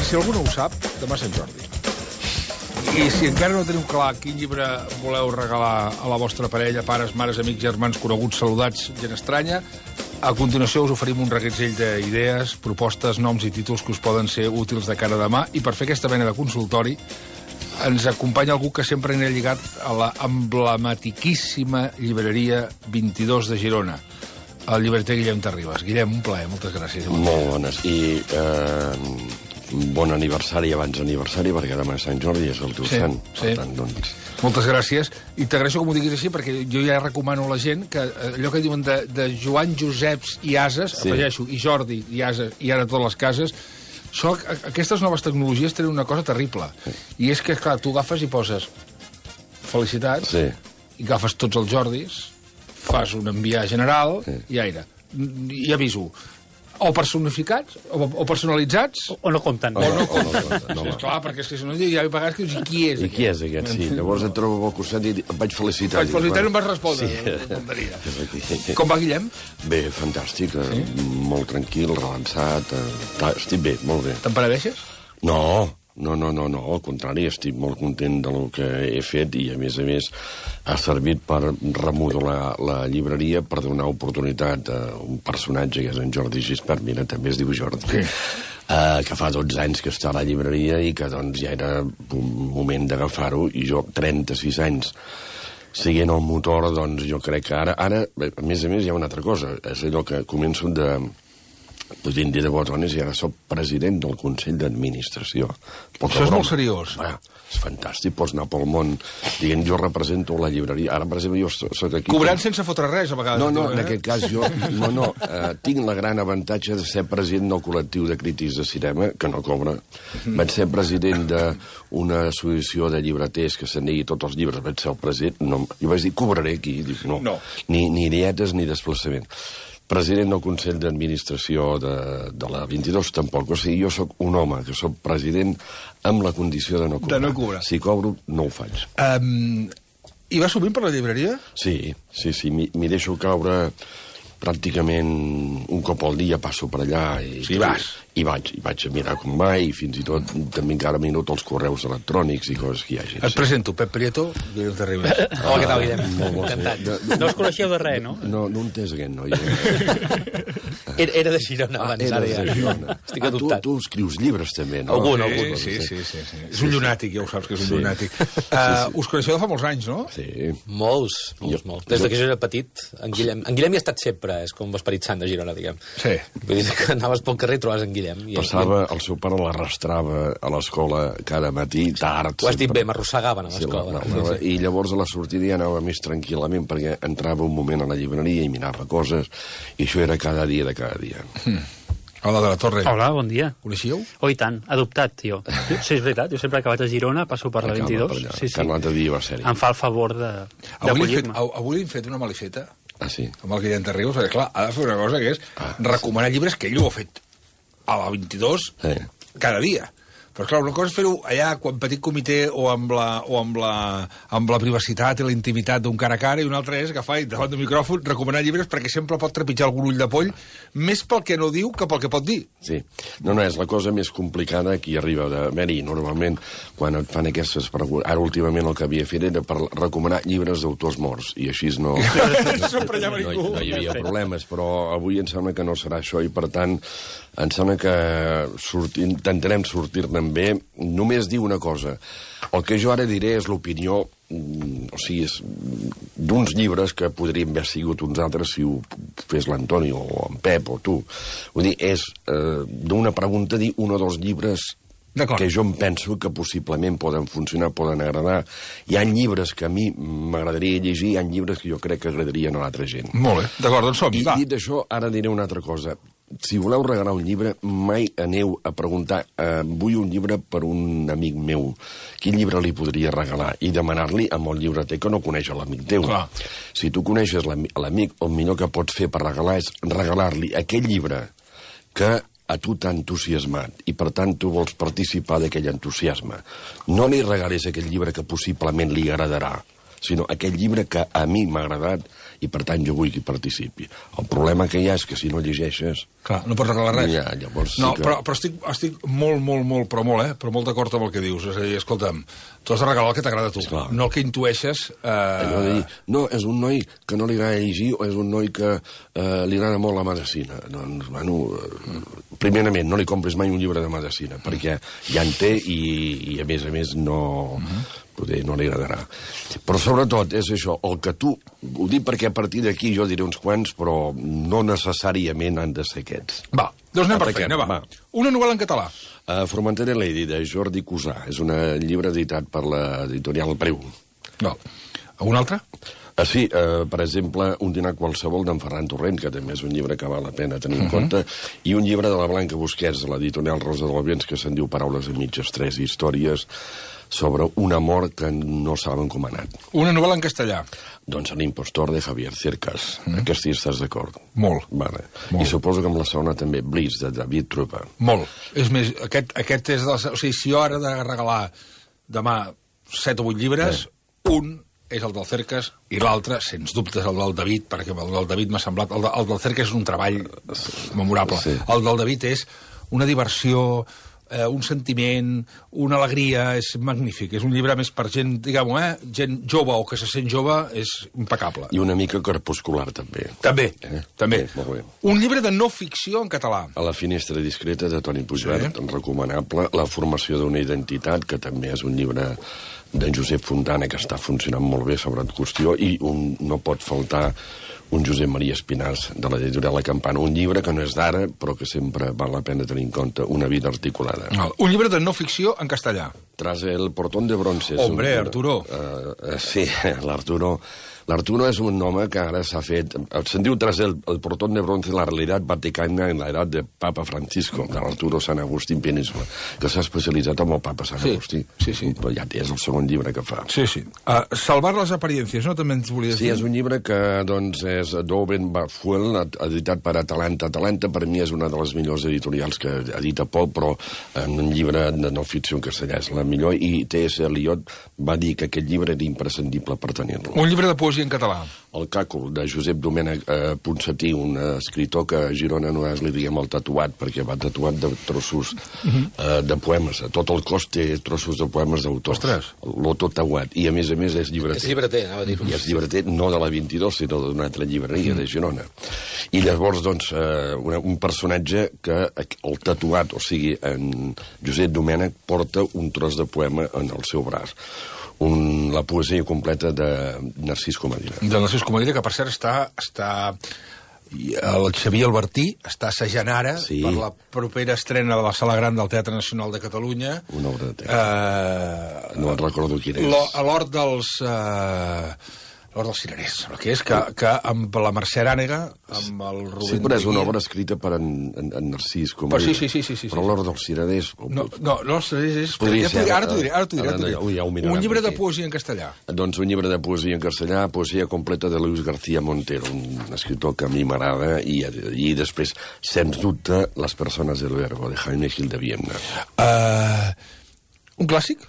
per si algú no ho sap, demà Sant Jordi. I si encara no teniu clar quin llibre voleu regalar a la vostra parella, pares, mares, amics, germans, coneguts, saludats, gent estranya, a continuació us oferim un reguitzell d'idees, propostes, noms i títols que us poden ser útils de cara a demà. I per fer aquesta mena de consultori ens acompanya algú que sempre anirà lligat a la emblematiquíssima llibreria 22 de Girona, el llibreter Guillem Terribas. Guillem, un plaer, moltes gràcies. Molt bones. I bon aniversari abans aniversari, perquè demà és Sant Jordi, és el teu sant. Per tant, doncs... Moltes gràcies. I t'agraeixo que m'ho diguis així, perquè jo ja recomano a la gent que allò que diuen de Joan Joseps i Ases, afegeixo, i Jordi i Ases, i ara totes les cases, aquestes noves tecnologies tenen una cosa terrible. I és que, clar, tu agafes i poses felicitats, i agafes tots els Jordis, fas un enviar general, i aire. I aviso, o personificats, o personalitzats... O no compten. O no compten. No, esclar, perquè és que si no, ja hi ha vegades que dius, i qui és aquest? I qui és aquest, sí. Llavors et trobo al costat i em vaig felicitar. Vaig felicitar i no em vas respondre. Com va, Guillem? Bé, fantàstic, molt tranquil, relaxat, estic bé, molt bé. Te'n penedeixes? No, al contrari, estic molt content del que he fet i, a més, ha servit per remodelar la llibreria, per donar oportunitat a un personatge que és en Jordi Gispert, mira, també es diu Jordi, que fa 12 anys que està a la llibreria i que doncs ja era un moment d'agafar-ho, i jo, 36 anys, siguent el motor, doncs jo crec que ara, a més, hi ha una altra cosa, és allò que començo podríem dir de botones, i ara soc president del Consell d'Administració. Això és molt seriós. És fantàstic, pots anar pel món dient jo represento la llibreria. Ara, per exemple, jo soc aquí... Cobrant sense fotre res, a vegades. No, en aquest cas jo... tinc la gran avantatge de ser president del col·lectiu de crítics de cinema, que no cobra. Vaig ser president d'una associació de llibreters que se'n digui tots els llibres, vaig ser el president. Jo vaig dir, cobraré aquí. Dic, no. Ni dietes ni desplaçament. President del Consell d'Administració de la 22 tampoc. O sigui, jo sóc un home que sóc president amb la condició de no cobrar. De no cobrar. Si cobro, no ho faig. I vas sovint per la llibreria? Sí. M'hi deixo caure pràcticament un cop al dia, passo per allà. I vaig a mirar com va, i fins i tot també encara miro els correus electrònics i coses que hi hagi. Et presento, Pep Prieto, Guillem Terribas. Hola, què tal, Guillem? Encantat. No us coneixeu de res, no? No entès aquest noi. Era de Girona abans. Era de Girona. Estic adoptat. Tu escrius llibres també, no? Algun. Sí. És un llunàtic, ja ho saps que és un llunàtic. Us coneixeu de fa molts anys, no? Sí. Molts. Des que jo era petit, en Guillem hi ha estat sempre, és com l'esperit sant de Girona, diguem. Sí. Vull dir que anaves pel carrer i trobaves en Guillem. Passava, el seu pare l'arrastrava a l'escola cada matí, tard. Ho has dit bé, m'arrossegaven a l'escola. I llavors a la sortida ja anava més tranquil·lament, perquè entrava un moment a la llibreria i mirava coses, i això era cada dia de cada dia. Hola, de la Torre. Hola, bon dia. Coneixíeu? Oh, i tant, adoptat, jo. Sí, és veritat, jo sempre que vaig a Girona passo per la 22. Sí. L'altre dia va ser-hi. Em fa el favor d'acollir-me. Avui hem fet una malifeta amb el Guillem Terribas, perquè clar, ha de fer una cosa que és recomanar llibres que ell ho ha fet a la 22 cada dia. Però, clar, una cosa és fer-ho allà, quan petit comitè, o amb la privacitat i la intimitat d'un cara a cara, i una altra és agafar i davant del micròfon recomanar llibres perquè sempre pot trepitjar algun ull de poll, més pel que no diu que pel que pot dir. Sí. No, és la cosa més complicada que hi arriba d'haver-hi. Normalment, quan et fan aquestes preguntes... Ara, últimament, el que havia fet era per recomanar llibres d'autors morts, i així no hi havia problemes, però avui em sembla que no serà això, i per tant, em sembla que intentarem sortir-ne bé. Només diu una cosa. El que jo ara diré és l'opinió, d'uns llibres que podrien haver sigut uns altres si ho fes l'Antoni o en Pep o tu. Vull dir, és d'una pregunta dir un o dos llibres que jo em penso que possiblement poden funcionar, poden agradar. Hi ha llibres que a mi m'agradaria llegir, hi ha llibres que jo crec que agradarien a l'altra gent. Molt bé, d'acord, doncs som-hi. I dit això, ara diré una altra cosa. Si voleu regalar un llibre, mai aneu a preguntar vull un llibre per un amic meu, quin llibre li podria regalar, i demanar-li amb el llibreter que no coneix l'amic teu. Si tu coneixes l'amic, el millor que pots fer per regalar és regalar-li aquell llibre que a tu t'ha entusiasmat i per tant tu vols participar d'aquell entusiasme. No li regalis aquell llibre que possiblement li agradarà, sinó aquell llibre que a mi m'ha agradat i per tant jo vull que hi participi. El problema que hi ha és que si no llegeixes... Clar, no pots regalar res. Ja, llavors no, sí que... però estic però molt d'acord amb el que dius. És a dir, escolta'm, tu has de regalar el que t'agrada a tu, Esclar. no el que intueixes... Allò de dir, no, és un noi que no li agrada llegir o és un noi que li agrada molt la medicina. Doncs, bueno, primerament, no li compris mai un llibre de medicina, perquè ja en té i a més no... Poder no li agradarà. Però sobretot és això, el que tu... Ho dic perquè a partir d'aquí jo diré uns quants, però no necessàriament han de ser aquests. Va, doncs anem per Ataquem, feina, va. va. Una novel·la en català. Formentera Lady, de Jordi Cusà. És un llibre editat per l'editorial Preu. No. Algun altre? Sí, per exemple, Un dinar qualsevol d'en Ferran Torrent, que també és un llibre que val la pena tenir en compte, i un llibre de la Blanca Busquets, de l'editorial Rosa de l'Albiens, que se'n diu Paraules a mitges, 3 històries sobre un amor que no saben com ha anat. Una novel·la en castellà. Doncs L'impostor de Javier Cercas. Aquesta hi estàs d'acord? Molt. Vale. Molt. I suposo que amb la segona també, Bliss, de David Trupa. Molt. És més, aquest és... O sigui, si jo ara he de regalar demà 7 o 8 llibres, un és el del Cercas i l'altre, sens dubte, és el del David, perquè el del David m'ha semblat... El del Cercas és un treball memorable. Sí. El del David és una diversió, un sentiment, una alegria, és magnífic. És un llibre més per gent, diguem-ho, gent jove o que se sent jove, és impecable. I una mica crepuscular, també. També, també. Molt bé. Un llibre de no ficció en català. A la finestra discreta, de Toni Puigvert, recomanable. La formació d'una identitat, que també és un llibre d'en Josep Fontana, que està funcionant molt bé sobre la qüestió, i no pot faltar un Josep Maria Espinàs, de l'editorial La Campana, un llibre que no és d'ara, però que sempre val la pena tenir en compte, Una vida articulada. Un llibre de no ficció en castellà. Tras el portón de bronce. Hombre, Arturo. Sí, l'Arturo. L'Arturo és un home que ara s'ha fet... Se'n diu Tras el portón de bronce, la realitat vaticana en l'edat de Papa Francisco, de l'Arturo Sant Agustí Península, que s'ha especialitzat en el Papa Sant Agustí. Sí, sí. Però ja és el segon llibre que fa. Sí, sí. Salvar les apariencias, no? També ens volies dir? Sí, és un llibre que, doncs, és d'Owen Barfuel, editat per Atalanta. Atalanta, per mi, és una de les millors editorials que edita Pol, però en un llibre de no ficció en castellà és la millor, i T.S. Eliot va dir que aquest llibre era imprescindible per tenir-lo. Un llibre de poesia en català. El Càcul, de Josep Domènech Ponsatí, un escritor que a Girona no és, li diguem, el tatuat, perquè va tatuat de trossos de poemes. A tot el cos té trossos de poemes d'autors. Ostres! L'autor tatuat. I, a més és llibreter. És llibreter, anava a dir-ho. I és llibreter no de la 22, sinó d'una altra llibreria de Girona. I llavors, doncs, un personatge que el tatuat, o sigui, en Josep Domènech, porta un tros de poema en el seu braç. La poesia completa de Narcís Comadira. De Narcís Comadira, que per cert està... El Xavier Albertí està assajant ara per la propera estrena de la Sala Gran del Teatre Nacional de Catalunya. Una obra de teatre. No en recordo quina és. A l'Hort dels... L'Hort dels Cirerers, el que és que amb la Mercè Arànega, amb el Rubén... Sí, però és una obra escrita per en Narcís Comadira. Sí. Però l'Hort dels Cirerers... No, l'Hort dels Cirerers... Ara t'ho diré. Un llibre de poesia en castellà. Doncs un llibre de poesia en castellà, poesia completa de Luis García Montero, un escritor que a mi m'agrada, i després, sens dubte, Les persones del verbo, de Jaime Gil de Viedma. Un clàssic?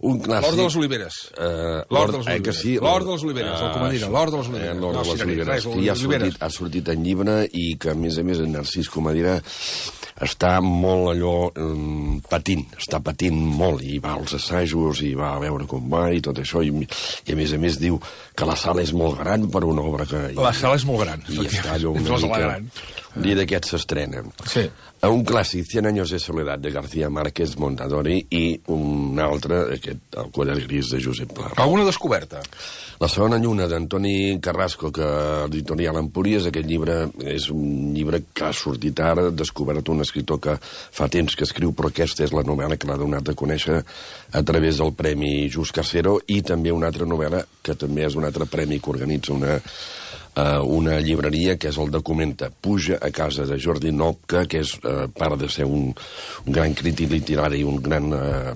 Un clàssic... L'Hort de les Oliveres. L'Hort de les Oliveres. Sí, L'Hort de les Oliveres, el Comadira. L'Hort de les Oliveres. L'Hort de les Oliveres, que ja ha sortit en llibre i que, a més, en Narcís Comadira està molt allò patint, està patint molt, i va als assajos, i va a veure com va, i tot això, i a més diu que la sala és molt gran per una obra que... La sala és molt gran. I està allò una mica... Un dia d'aquest s'estrena. Sí. Un clàssic, 100 años de soledad, de García Márquez Montadori, i un altre, El quadern gris, de Josep Pla. Alguna descoberta? La segona lluna, d'Antoni Carrasco, que editorial Empúries. Aquest llibre és un llibre que ha sortit ara, descobert un escriptor que fa temps que escriu, però aquesta és la novel·la que l'ha donat a conèixer a través del Premi Just Casero, i també una altra novel·la que també és un altre premi que organitza una una llibreria que és el Documenta. Puja a casa de Jordi Nopka, que és, part de ser un gran crític literari i un gran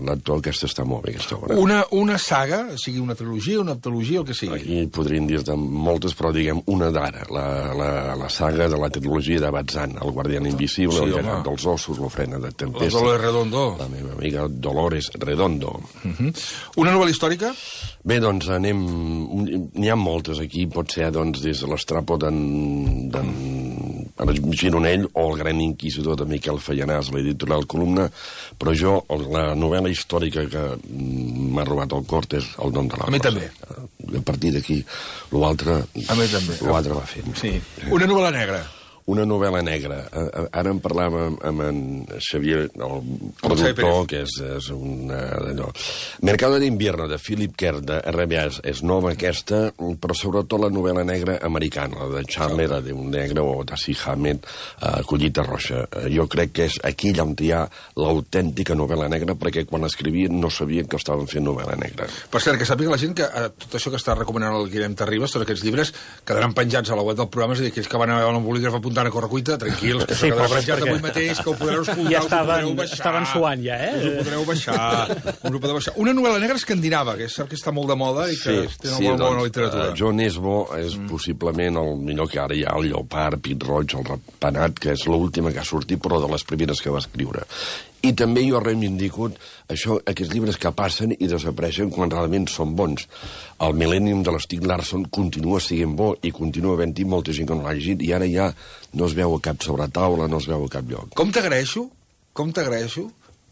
lector, aquesta està molt bé, aquesta obra. Una saga, sigui una trilogia, una heptalogia, el que sigui. Aquí podrien dir-te moltes, però diguem una d'ara, la saga de la trilogia de Bazán, El guardián invisible, El gegant dels ossos, L'ofrena de tempesta. Dolores Redondo. La meva amiga Dolores Redondo. Una novel·la històrica? Bé, doncs n'hi ha moltes aquí, pot ser doncs, des de l'Estrapo d'en Gironell o El gran inquisidor de Miquel Fallanàs, l'editorial Columna, però jo, la novel·la històrica que m'ha robat el cor és El nom de la rosa. A mi també. A partir d'aquí, l'altre va fent. Sí. Una novel·la negra. Una novel·la negra. Ara en parlàvem amb en Xavier, el productor, que és un... Mercado de invierno, de Philip Kerr, de RBA, és nova aquesta, però sobretot la novel·la negra americana, la de Chandler, d'un negre, o de C. Hammett, Collita Roja. Jo crec que és aquí on hi ha l'autèntica novel·la negra, perquè quan escrivien no sabien que estaven fent novel·la negra. Per cert, que sàpiga la gent que tot això que està recomanant el Guillem Terribas, tots aquests llibres, quedaran penjats a la web del programa, és a dir, aquells que van a veure un bolígraf apuntant a correcuita, tranquils, que s'ha penjat avui mateix, que ho podreu escoltar, ja estaven suant, ja, us ho podreu baixar. Una novel·la negra escandinava, que és cert que està molt de moda i que té una molt bona literatura. John Nesbo és possiblement el millor que ara hi ha, el Lleopard, Pit Roig, el Ratpenat, que és l'última que ha sortit, però de les primeres que va escriure. I també jo reivindico aquests llibres que passen i desapareixen quan realment són bons. El Millennium de l'Stieg Larsson continua sent bo i continua havent-hi molta gent que no l'ha llegit i ara ja no es veu a cap sobretaula, no es veu a cap lloc. Com t'agraeixo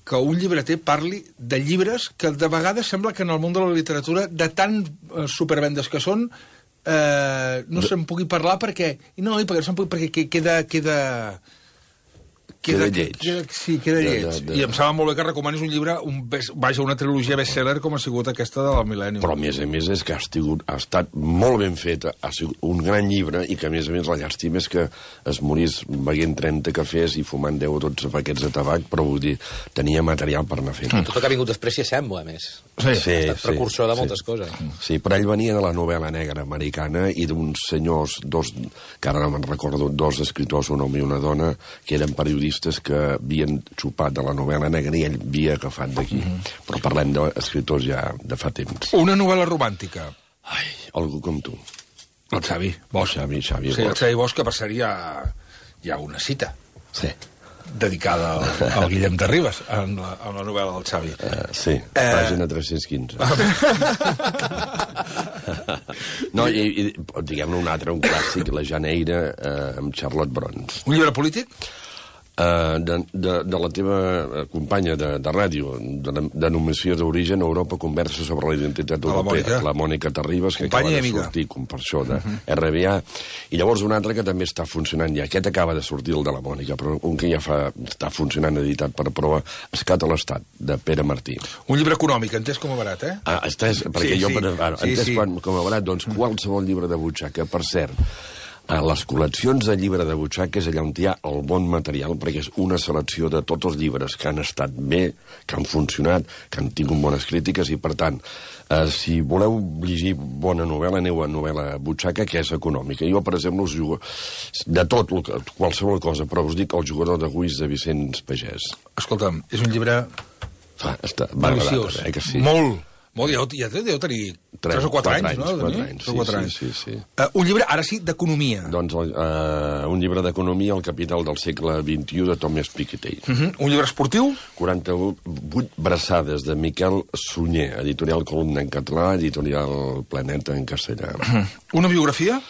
que un llibreter parli de llibres que de vegades sembla que en el món de la literatura, de tan supervendes que són, no se'n pugui parlar perquè queda lleig. Sí, queda lleig. I em sembla molt bé que recomanis un llibre, una trilogia bestseller com ha sigut aquesta de la Millennium. Però, a més és que ha estat molt ben feta, ha sigut un gran llibre, i que, a més, la llàstima és que es morís beguent 30 cafès i fumant 10 o 12 paquets de tabac, però vull dir, tenia material per anar fent. Tot el que ha vingut després s'hi assembla, a més. Sí, ha estat precursor de moltes coses. Sí, però ell venia de la novel·la negra americana i d'uns senyors, que ara no me'n recordo, dos escriptors, un home i una dona, que eren periodistes que havien xupat de la novel·la negra i ell havia agafat d'aquí. Però parlem d'escriptors ja de fa temps. Una novel·la romàntica. Ai, algú com tu. El Xavi Bosch. Xavi Bosch. El Xavi Bosch, que per cert hi ha una cita. Sí. Dedicada al Guillem Terribas, en la novel·la del Xavi. Sí, pàgina 315. No, i diguem-ne un altre, un clàssic, La Janeira, amb Charlotte Brons. Un llibre polític? De la teva companya de ràdio, de denominació d'origen, Europa conversa sobre la identitat europea, la Mònica Terribas, que acaba de sortir, com per això, de RBA, i llavors un altre que també està funcionant ja. Aquest acaba de sortir, el de la Mònica, però un que ja està funcionant editat per prova, Escat a l'Estat, de Pere Martí. Un llibre econòmic, entès com a barat, eh? Entès com a barat, doncs qualsevol llibre de butxaca, per cert, a les col·leccions de llibre de butxaca és allà on hi ha el bon material, perquè és una selecció de tots els llibres que han estat bé, que han funcionat, que han tingut bones crítiques, i per tant, si voleu llegir bona novel·la, aneu a novel·la butxaca, que és econòmica. Jo, per exemple, us jugo de tot, qualsevol cosa, però us dic El jugador de Guix, de Vicenç Pagès. Escolta'm, és un llibre deliciós, que sí. Molt, ja deu tenir 3 o 4 anys, no? 4 anys, sí. Un llibre, ara sí, d'economia. Doncs un llibre d'economia, El capital del segle XXI, de Thomas Piketty. Un llibre esportiu? 48 braçades, de Miquel Sunyer, editorial Columna en català, editorial Planeta en castellà. Una biografia?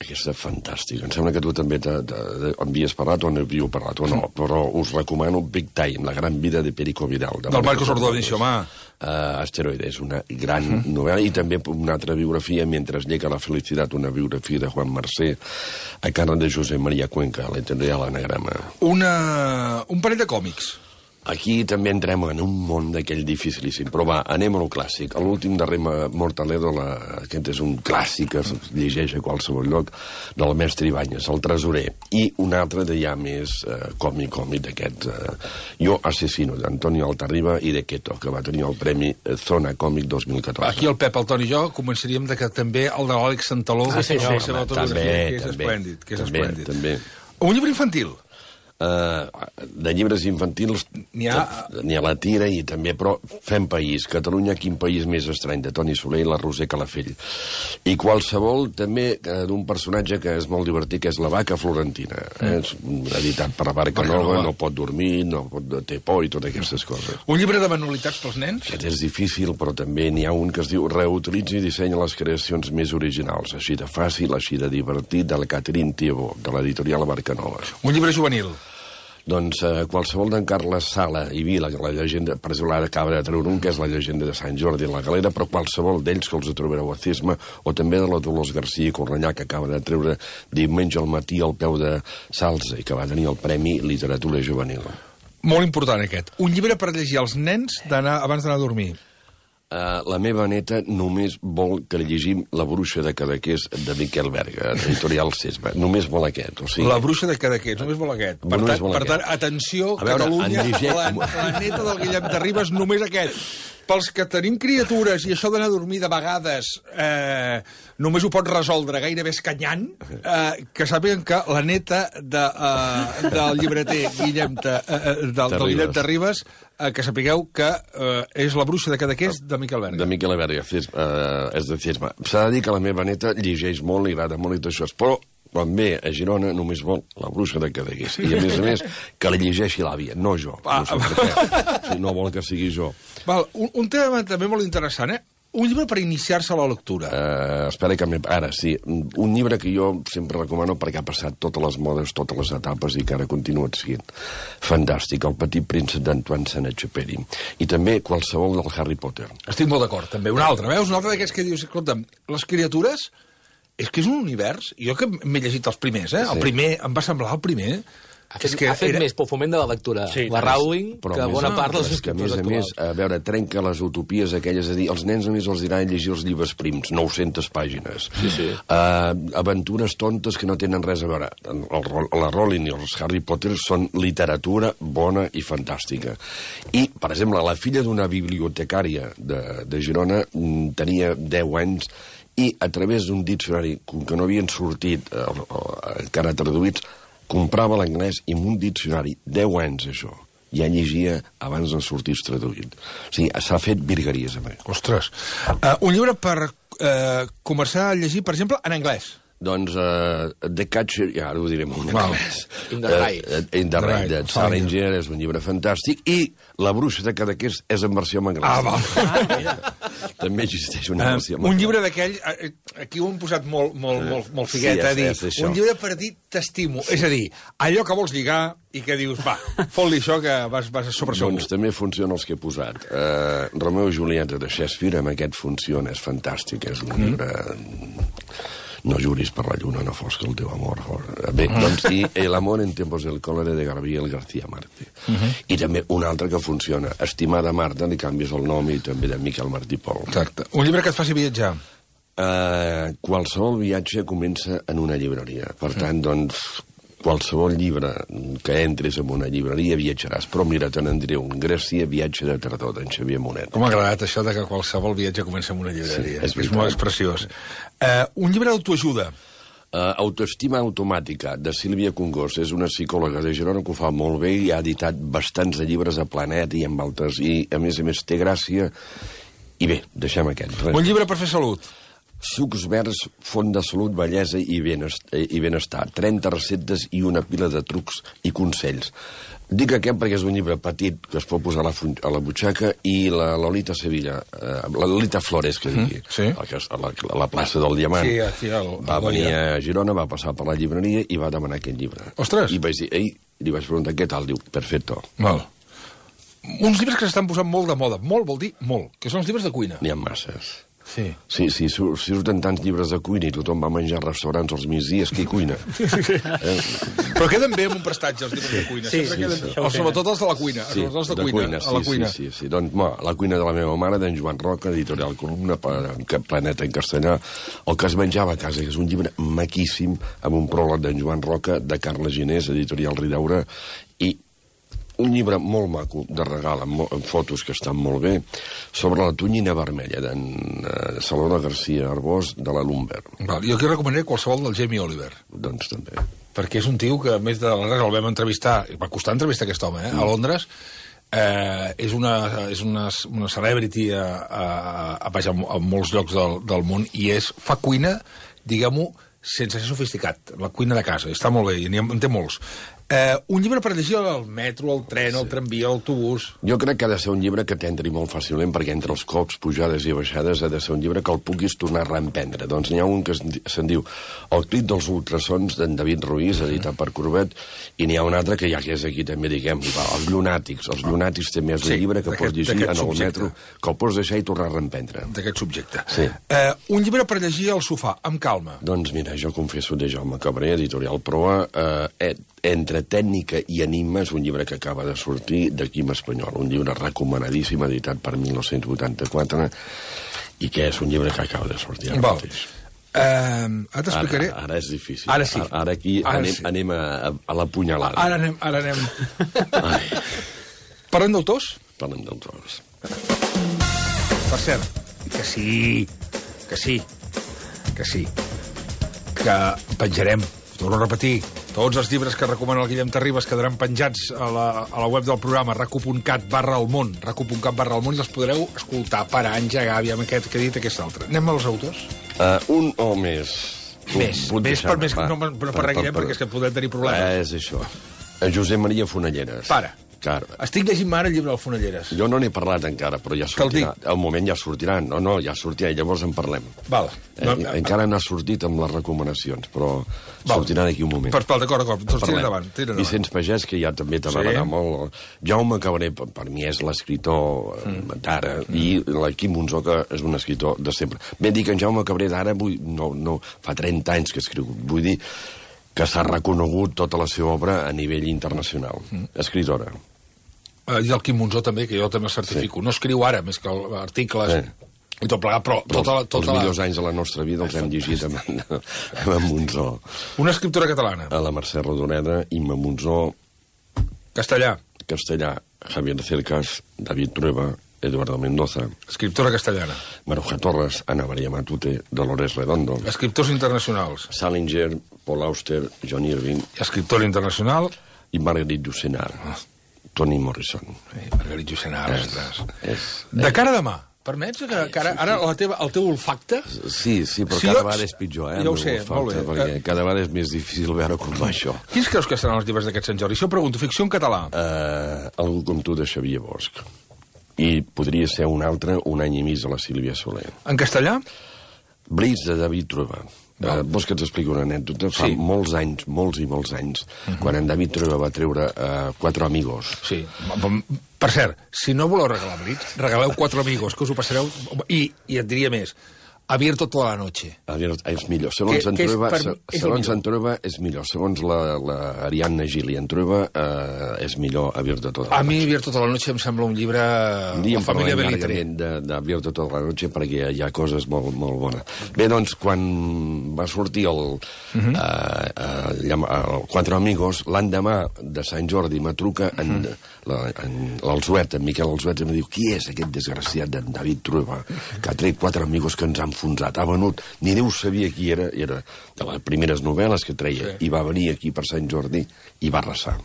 Aquesta és fantàstica. Em sembla que tu també havies parlat o n'havíeu parlat, o no, però us recomano Big Time, la gran vida de Perico Vidal. Del Marcos Ordóñez, home. Asteroide, és una gran novel·la, i també una altra biografia, Mentre llega la felicitat, una biografia de Juan Mercé, a càrrec de Josep Maria Cuenca, l'editorial Anagrama. Un parell de còmics. Aquí també entrem en un món d'aquell dificilíssim. Però va, anem a lo clàssic. L'últim de Rema Mortaledo, aquest és un clàssic que es llegeix a qualsevol lloc, del mestre Ibáñez, el tresorer. I un altre de ja més còmic d'aquests. Jo assassino, d'Antonio Altarriba i de Queto, que va tenir el Premi Zona Còmic 2014. Aquí el Pep, el Toni i jo començaríem que també el de l'Àlex Santaló, que és esplèndid. També. Un llibre infantil. De llibres infantils n'hi ha la tira i també, però fem país. Catalunya, quin país més estrany, de Toni Soler i la Roser Calafell. I qualsevol també d'un personatge que és molt divertit, que és la vaca florentina. És editat per la Barca Nova, no pot dormir, té por i totes aquestes coses. Un llibre de manualitats pels nens? Aquest és difícil, però també n'hi ha un que es diu Reutilitza i dissenya les creacions més originals. Així de fàcil, així de divertit, de la Catherine Thibault, de l'editorial La Barca Nova. Un llibre juvenil? Doncs qualsevol d'en Carles Sala i Vila, que la llegenda, per exemple, ara acaba de treure un, que és la llegenda de Sant Jordi en la Galera, però qualsevol d'ells que els trobareu a Cisma, o també de la Dolors García i Cornellà, que acaba de treure Diumenge al matí al peu de Salze, i que va tenir el Premi Literatura Juvenil. Molt important aquest. Un llibre per llegir als nens abans d'anar a dormir. La meva neta només vol que li llegim La bruixa de Cadaqués de Miquel Berga, editorial Cisma. Només vol aquest. O sigui... La bruixa de Cadaqués, només vol aquest. Per tant, atenció, Catalunya, la neta del Guillem de Ribes, només aquest. Pels que tenim criatures i això d'anar a dormir de vegades només ho pot resoldre gairebé escanyant, que sàpiguen que la neta del llibreter Guillem de Ribes, que sapigueu que és La bruixa de Cadaqués de Miquel Berga. De Miquel Berga, és de Cisma. S'ha de dir que la meva neta llegeix molt, li agrada molt i tot això, però quan ve a Girona només vol La bruixa de Cadaqués. I, a més, que la llegeixi l'àvia, no jo. No sé per què. No vol que sigui jo. Val, un tema també molt interessant, Un llibre per iniciar-se a la lectura. Espera que ara, sí. Un llibre que jo sempre recomano perquè ha passat totes les modes, totes les etapes i que ara continua sent fantàstic. El petit príncep d'Antoine Saint-Exupéry. I també qualsevol del Harry Potter. Estic molt d'acord, també. Un altre, veus? Un altre d'aquests que dius, escolta'm, les criatures... És que és un univers... Jo que m'he llegit els primers, El primer, em va semblar el primer... Ha fet més pel foment de la lectura, la Rowling, que bona part dels escriptors actuals. A veure, trenca les utopies aquelles, és a dir, els nens només els diran llegir els llibres prims, 900 pàgines. Aventures tontes que no tenen res a veure. La Rowling i els Harry Potter són literatura bona i fantàstica. I, per exemple, la filla d'una bibliotecària de Girona tenia 10 anys i a través d'un diccionari que no havien sortit encara traduïts, comprava l'anglès i amb un diccionari, 10 anys això, ja llegia abans de sortir traduït. O sigui, s'ha fet virgueries amb ell. Ostres. Un llibre per començar a llegir, per exemple, en anglès. Doncs The Catcher, ja ara ho direm en anglès. In the Ride. In the Ride, de Salinger, és un llibre fantàstic, i La bruixa de Cadaqués és en versió en anglès. També existeix una versió en anglès. Un llibre d'aquell, aquí ho hem posat molt figuet, a dir, un llibre per dir t'estimo, és a dir, allò que vols lligar i que dius, va, fot-li això que vas a sobre segur. Doncs també funciona els que he posat. Romeo i Julieta de Shakespeare, amb aquest funciona, és fantàstic, és un llibre... No juris per la lluna, no fos que el teu amor fos... Bé, doncs, i El amor en tiempos del cólera de Gabriel García Márquez. I també un altre que funciona, Estimada Marta, li canvies el nom, i també de Miquel Martí Pol. Exacte. Un llibre que et faci viatjar. Qualsevol viatge comença en una llibreria. Per tant, doncs, qualsevol llibre que entres en una llibreria viatjaràs. Però mira, te n'endreu un Grècia, viatge de tardor, d'en Xavier Monet. Com m'ha agradat això de que qualsevol viatge comença en una llibreria. Sí, és molt preciós. Un llibre d'autoajuda. Autoestima automàtica, de Sílvia Congost. És una psicòloga de Girona que ho fa molt bé i ha editat bastants de llibres a Planet i amb altres. I, a més, té gràcia. I bé, deixem aquest. Un llibre per fer salut. Sucs verds, font de salut, bellesa i benestar. 30 receptes i una pila de trucs i consells. Dic aquest perquè és un llibre petit que es pot posar a la butxaca, i la Lolita Sevilla, la Lolita Flores, que digui, a la plaça del Diamant, va venir a Girona, va passar per la llibreria i va demanar aquest llibre. Ostres! I li vaig preguntar què tal, diu, perfecto. Val. Uns llibres que s'estan posant molt de moda, molt vol dir molt, que són els llibres de cuina. N'hi ha masses. Sí, surten tants llibres de cuina i tothom va menjar a restaurants als migdies, qui cuina? Però queden bé amb un prestatge, els llibres de cuina. Sí, sobretot els de la cuina. Sí, de cuina. Doncs, La cuina de la meva mare, d'en Joan Roca, editorial Columna, Planeta en castellà, el que es menjava a casa, que és un llibre maquíssim, amb un pròleg d'en Joan Roca, de Carles Ginés, editorial Ridaura, i un llibre molt maco de regal, amb fotos que estan molt bé, sobre la tonyina vermella d'en Salvador García Arbós, de la Lumber. Jo aquí recomanaré qualsevol del Jamie Oliver. Doncs també. Perquè és un tio que, a més de res, el vam entrevistar, va costar entrevistar aquest home, a Londres. És una celebrity a molts llocs del món i fa cuina, diguem-ho, sense ser sofisticat, la cuina de casa. Està molt bé, i en té molts. Un llibre per llegir al metro, al tren, al tramvia, al autobús... Jo crec que ha de ser un llibre que t'entri molt fàcilment, perquè entre els cops, pujades i baixades, ha de ser un llibre que el puguis tornar a reemprendre. Doncs n'hi ha un que se'n diu El crit dels ultrasons, d'en David Ruiz, editat per Corbet, i n'hi ha un altre que ja que és aquí també, diguem, Els llunàtics. Els llunàtics també és un llibre que pots llegir en el metro, que el pots deixar i tornar a reemprendre. D'aquest subjecte. Sí. Un llibre per llegir al sofà, amb calma. Doncs mira, jo confesso de Jaume Cabré, editorial Proa, Entre tècnica i enigma és un llibre que acaba de sortir de Quim Espanyol, un llibre recomanadíssim, editat per 1984, i que és un llibre que acaba de sortir ara mateix. Ara t'explicaré... Ara és difícil. Ara sí. Ara aquí anem a la punyalada. Ara anem. Parlem d'autors? Parlem d'autors. Per cert, que sí, que penjarem, torno a repetir, tots els llibres que recomana el Guillem Terribas quedaran penjats a la web del programa racu.cat/elmón, racu.cat/elmón, i els podreu escoltar, parar, engegar, aviam aquest que ha dit aquest altre. Anem als autors? Un o més. Més per Guillem, perquè és que podem tenir problemes. És això. Josep Maria Fonelleres. Para. Clar. Estic llegint ara el llibre del Fonelleres. Jo no n'he parlat encara, però ja sortirà. Al moment ja sortirà. No, ja sortirà, i llavors en parlem. Val. Encara n'ha sortit amb les recomanacions, però sortirà d'aquí un moment. D'acord. Doncs tira endavant. Vicenç Pagès, que ja també te m'agrada molt. Jaume Cabré, per mi, és l'escriptor d'ara, i l'Quim Monzó, que és un escriptor de sempre. Ben dir que en Jaume Cabré d'ara, no, fa 30 anys que escriu. Vull dir que s'ha reconegut tota la seva obra a nivell internacional. Escritora. I el Quim Monzó també, que jo també certifico. No escriu ara, més que articles i tot plegat, però els millors anys de la nostra vida els hem llegit amb en Monzó. Una escriptora catalana. A la Mercè Rodoreda, Imma Monzó. Castellà, Javier Cercas, David Trueba, Eduardo Mendoza. Escriptora castellana. Maruja Torres, Ana María Matute, Dolores Redondo. Escriptors internacionals. Salinger, Paul Auster, John Irving. Escriptora internacional. I Marguerite Yourcenar. Toni Morrison. Marguerite Yourcenar, de cara a demà, permets que ara el teu olfacte... Sí, però cada vegada és pitjor, Ja ho sé, molt bé. Perquè cada vegada és més difícil veure com va això. Quins creus que seran els llibres d'aquest Sant Jordi? Això pregunto, ficció en català. Algú com tu, de Xavier Bosch. I podria ser un altre, Un any i mig, de la Sílvia Soler. En castellà? Blitz, de David Trueba. Vols que t'expliqui una anècdota? Fa molts anys, molts i molts anys, quan en David Trueba va treure Cuatro Amigos. Sí. Per cert, si no voleu regalar Blitz, regaleu Cuatro Amigos, que us ho passareu... I et diria més, Abierto toda la noche. És millor. Segons en Trueba és millor. Segons l'Ariadna Gili en Trueba és millor Abierto toda la noche. A mi Abierto toda la noche em sembla un llibre... La família Belitri. d'Abierto toda la noche, perquè hi ha coses molt, molt bones. Bé, doncs, quan va sortir el Cuatro Amigos, l'endemà de Sant Jordi me truca l'Alzuet, en Miquel Alzuet, i em diu: qui és aquest desgraciat d'en David Trueba, que ha tret Cuatro Amigos que ens han enfonsat, ha venut, ni Déu sabia qui era de les primeres novel·les que treia, i va venir aquí per Sant Jordi i va arrasar.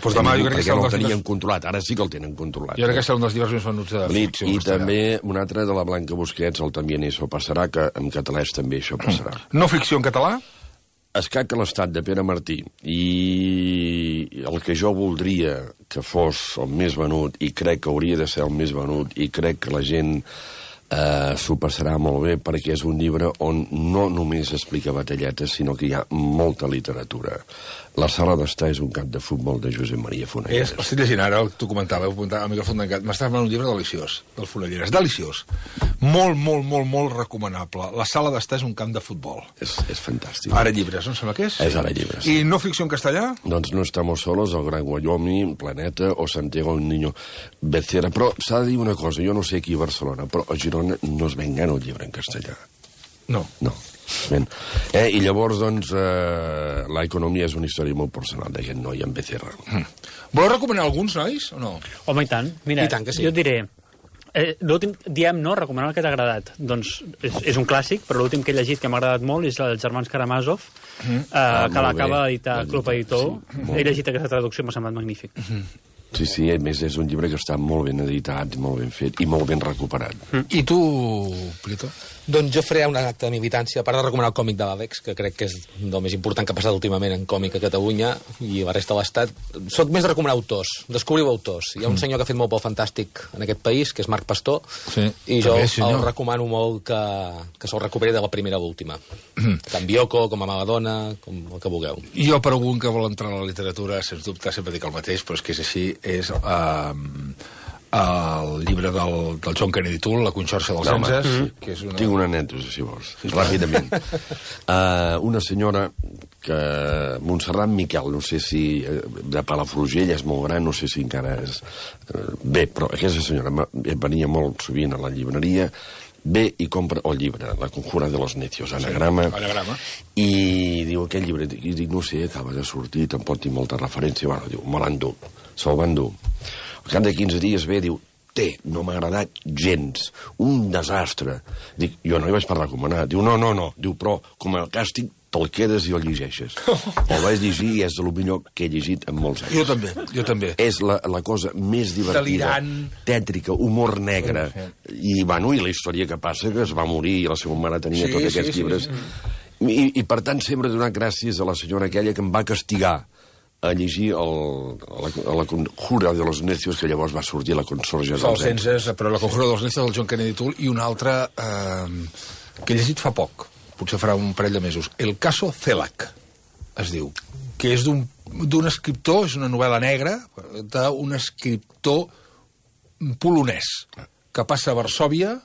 Pues demà jo crec que no el tenien controlat, ara sí que el tenen controlat. Jo crec que serà un dels llibres més venuts de ficció. I també un altre de la Blanca Busquets, el También eso passarà, que en català també això passarà. No ficció en català? Escac a l'estat, de Pere Martí. I el que jo voldria que fos el més venut, i crec que hauria de ser el més venut, i crec que la gent s'ho passarà molt bé perquè és un llibre on no només explica batalletes, sinó que hi ha molta literatura. La sala d'estar és un camp de futbol de Josep Maria Fonelleres. Estic llegint ara, tu comentàveu, al micròfon tancat, m'estàs parlant un llibre deliciós, del Fonelleres, deliciós. Molt, molt, molt, molt recomanable. La sala d'estar és un camp de futbol. És fantàstic. Ara llibres, no em sembla que és? És ara llibres. I no ficció en castellà? Doncs No estamos solos, El gran Wyoming, Planeta o Santiago un niño Becerra. Però s'ha de dir una cosa, jo no sé aquí a Barcelona, però a Girona no es ven gana el llibre en castellà. No. No. I llavors, doncs, la economia és una història molt personal d'aquest noi en Becerra. Voleu recomanar alguns, nois, o no? Home, i tant. Mira, I tant que sí. jo et diré... l'últim, diem, no? Recomanar el que t'ha agradat. Doncs és un clàssic, però l'últim que he llegit que m'ha agradat molt és els germans Karamazov, que l'acaba d'editar Club Editor. He llegit aquesta traducció, m'ha semblat magnífic. Sí, a més és un llibre que està molt ben editat, molt ben fet i molt ben recuperat. I tu, Prieto? Doncs jo faré un acte de militància, a part de recomanar el còmic de l'Àlex, que crec que és el més important que ha passat últimament en còmic a Catalunya i la resta de l'Estat. Soc més de recomanar autors, descobriu autors. Hi ha un senyor que ha fet molt pel fantàstic en aquest país, que és Marc Pastor, i jo el recomano molt que se'l recuperi de la primera a l'última. Tant Bioko, com a Maladona, com el que vulgueu. Jo, per algun que vol entrar a la literatura, sens dubte, sempre dic el mateix, però és que és així, és el llibre del John Kennedy Toole, La conxorxa dels Enses, que és una... Tinc una anècdota, si vols, ràpidament. Una senyora que... Montserrat Miquel, no sé si... de Palafrugell, és molt gran, no sé si encara és... Bé, però aquesta senyora venia molt sovint a la llibreria, ve i compra el llibre, La conjura de los necios, anagrama, i diu, aquest llibre, i dic, no sé, acaba de sortir, tampoc tinc molta referència, bueno, diu, me l'endú, se'l va endur. Al cap de 15 dies ve, diu, no m'ha agradat gens, un desastre. Dic, jo no hi vaig per recomanar. Diu, no, diu, però com a càstig te'l quedes i el llegeixes. El vaig llegir i és el millor que he llegit en molts anys. Jo també. És la cosa més divertida, tètrica, humor negre. I, bueno, i la història que passa, que es va morir i la seva mare tenia tots aquests llibres. I, per tant, sempre he donat gràcies a la senyora aquella que em va castigar a llegir la conjura de los necios, que llavors va sortir La consorja dels Enses. Però La conjura dels necios del John Kennedy Toole, i una altra que he llegit fa poc, potser farà un parell de mesos, El caso Celac, es diu, que és d'un escriptor, és una novel·la negra, d'un escriptor polonès, que passa a Varsòvia,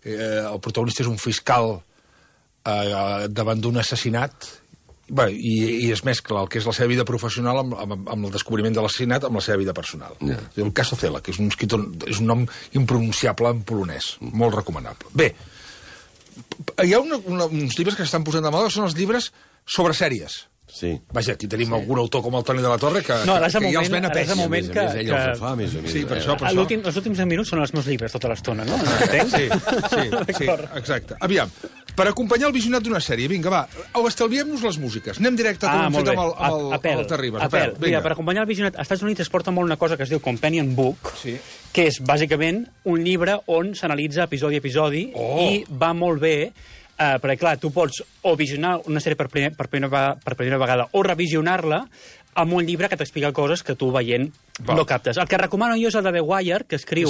el protagonista és un fiscal davant d'un assassinat, i es mescla el que és la seva vida professional amb el descobriment de l'assassinat amb la seva vida personal. El caso Celac, que és un escriptor, és un nom impronunciable en polonès, molt recomanable. Bé, hi ha uns llibres que s'estan posant de moda, són els llibres sobre sèries. Sí. Vaja, aquí tenim algun autor com el Toni de la Torre que ja els ven a pes. A més, ell els ho fa, a més. Sí, per això. Els últims 10 minuts són els meus llibres tota l'estona, no? Sí, exacte. Aviam, per acompanyar el visionat d'una sèrie, vinga, va, estalviem-nos les músiques. Anem directe, com hem fet amb el Terribas. Apel. Mira, per acompanyar el visionat, als Estats Units es porta molt una cosa que es diu Companion Book, que és, bàsicament, un llibre on s'analitza episodi a episodi i va molt bé. Perquè, clar, tu pots o visionar una sèrie per primera vegada o revisionar-la amb un llibre que t'explica coses que tu veient no captes. El que recomano jo és el de The Wire, que escriu...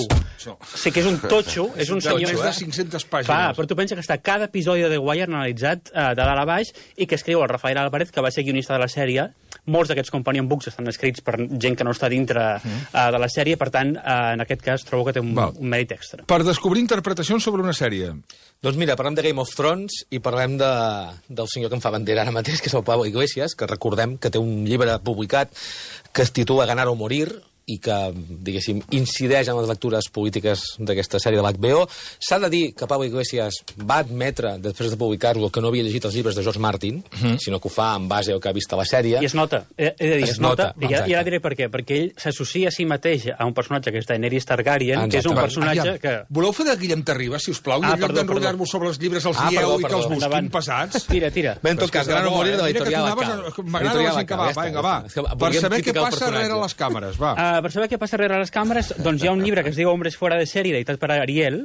Sé que és un totxo, és un senyor... És de 500 pàgines. Però tu pensa que està cada episodi de The Wire analitzat de dalt a baix i que escriu el Rafael Álvarez, que va ser guionista de la sèrie. Molts d'aquests companion books estan escrits per gent que no està dintre de la sèrie, per tant, en aquest cas trobo que té un mèrit extra. Per descobrir interpretacions sobre una sèrie. Doncs mira, parlem de Game of Thrones i parlem del senyor que em fa bandera ara mateix, que és el Pablo Iglesias, que recordem que té un llibre publicat que es titula Ganar o morir, i que, diguéssim, incideix en les lectures polítiques d'aquesta sèrie de l'HBO. S'ha de dir que Pablo Iglesias va admetre, després de publicar-lo, que no havia llegit els llibres de George Martin, sinó que ho fa en base al que ha vist a la sèrie. I es nota, he de dir, es nota. I ara diré per què. Perquè ell s'associa a si mateix a un personatge que és Daenerys Targaryen, que és un personatge que... Voleu fer de Guillem Terribas, si us plau? I en lloc d'enrotllar-vos sobre els llibres els dieu i que els busquin passats? Tira. Bé, en tot cas, Ganar o morir de l'editorial Acal. M'agrada que va. Per saber què passa darrere les càmeres, va. Per saber què passa darrere les càmeres, doncs hi ha un llibre que es diu Hombres fuera de sèrie, editat per Ariel,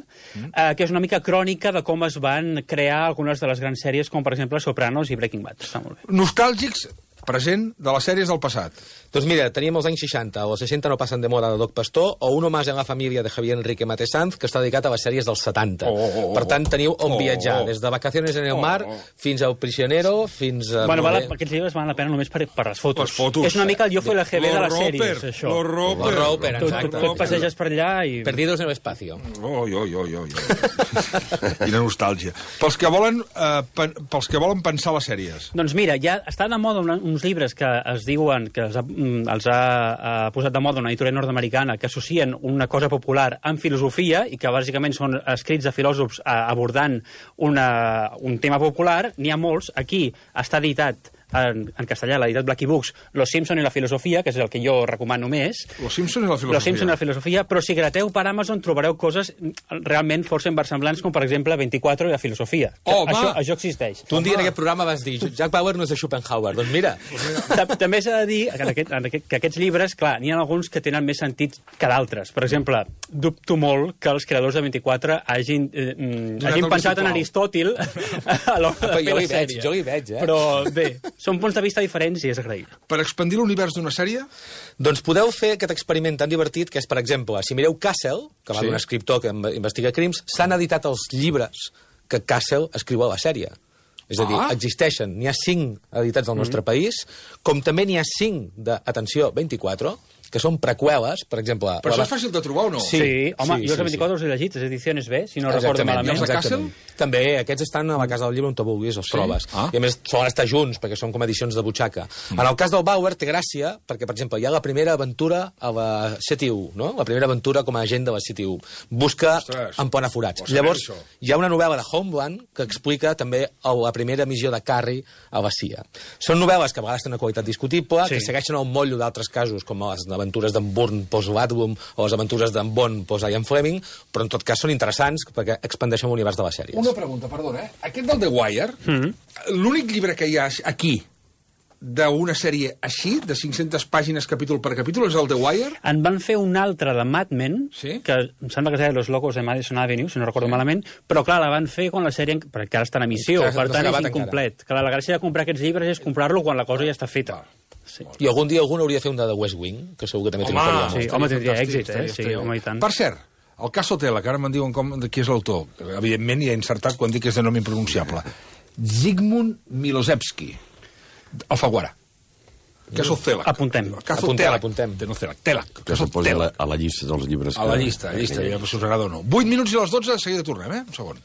que és una mica crònica de com es van crear algunes de les grans sèries, com per exemple Sopranos i Breaking Bad. Està molt bé. Nostàlgics, present de les sèries del passat. Doncs mira, teníem els anys 60, o els 60 no passen de moda de Doc Pastor, o Uno más en la família de Javier Enrique Matesanz, que està dedicat a les sèries dels 70. Per tant, teniu on viatjar, des de Vacaciones en el mar fins a El prisionero, fins a... Bueno, aquests llibres valen la pena només per les fotos. Les fotos. És una mica el Yo fui la GB de les sèries, això. Los Roper, exacte. Tu et passeges per allà i... Perdidos en el espacio. Quina nostàlgia. Pels que volen pensar les sèries. Doncs mira, ja està de moda uns llibres que es diuen, que els ha posat de moda una editorial nord-americana, que associen una cosa popular amb filosofia i que bàsicament són escrits de filòsofs abordant un tema popular. N'hi ha molts. Aquí està editat en castellà, l'ha editat Blackie Books, Los Simpson i la filosofia, que és el que jo recomano més. Los Simpson i la filosofia. Los Simpson i la filosofia, però si grateu per Amazon trobareu coses realment força inversemblants, com per exemple 24 i la filosofia. Això existeix. Tu un dia en aquest programa vas dir Jack Bauer no és de Schopenhauer. Doncs mira. També s'ha de dir que aquests llibres, clar, n'hi ha alguns que tenen més sentit que d'altres. Per exemple, dubto molt que els creadors de 24 hagin pensat en Aristòtil a l'hora de fer la sèrie. Jo hi veig, Però bé, són punts de vista diferents i és agraïble. Per expandir l'univers d'una sèrie? Doncs podeu fer aquest experiment tan divertit que és, per exemple, si mireu Castle, que va d'un escriptor que investiga crims, s'han editat els llibres que Castle escriu a la sèrie. És a dir, existeixen, n'hi ha 5 editats al nostre país, com també n'hi ha 5 d'atenció 24, que són preqüeles, per exemple... Però això és fàcil de trobar o no? Sí, home, jo els 24 els he llegit, les edicions B, si no recordo malament. I els de Castle? També, aquests estan a la Casa del Llibre on te vulguis, els trobes. I a més solen estar junts, perquè són com edicions de butxaca. En el cas del Bauer té gràcia, perquè, per exemple, hi ha la primera aventura a la CTU, no? La primera aventura com a agent de la CTU. Busca en Ponaforats. Llavors, hi ha una novel·la de Homeland que explica també la primera missió de Carrie a la CIA. Són novel·les que a vegades tenen una qualitat discutible, que segueixen el motllo d'altres casos, com les aventures d'en Bourne post-Wadlum o les aventures d'en Bond post-Ian Fleming, però en tot cas són interessants perquè expandeixen l'univers de les sèries. Una pregunta, perdona, Aquest del The Wire, l'únic llibre que hi ha aquí d'una sèrie així, de 500 pàgines capítol per capítol, és el The Wire? En van fer un altre de Mad Men, que em sembla que es deia Los Locos de Madison Avenue, si no recordo malament, però clar, la van fer quan la sèrie, perquè ara està en emissió, per tant és incomplet. Clar, la gràcia de comprar aquests llibres és comprar-lo quan la cosa ja està feta. I algun dia algun hauria de fer un de The West Wing, que segur que també triomfaria molt. Home, tindria èxit, sí, home, i tant. Per cert, el cas Sotela, que ara me'n diuen de qui és l'autor, evidentment hi ha insertat quan dic que és de nom impronunciable. Zygmunt Milosevski, Alfaguara. Caso Telak. Apuntem. Telak. Que se'l posi a la llista dels llibres. A la llista, ja us agrada o no. 8 minuts i a les 12, de seguida tornem, un segon.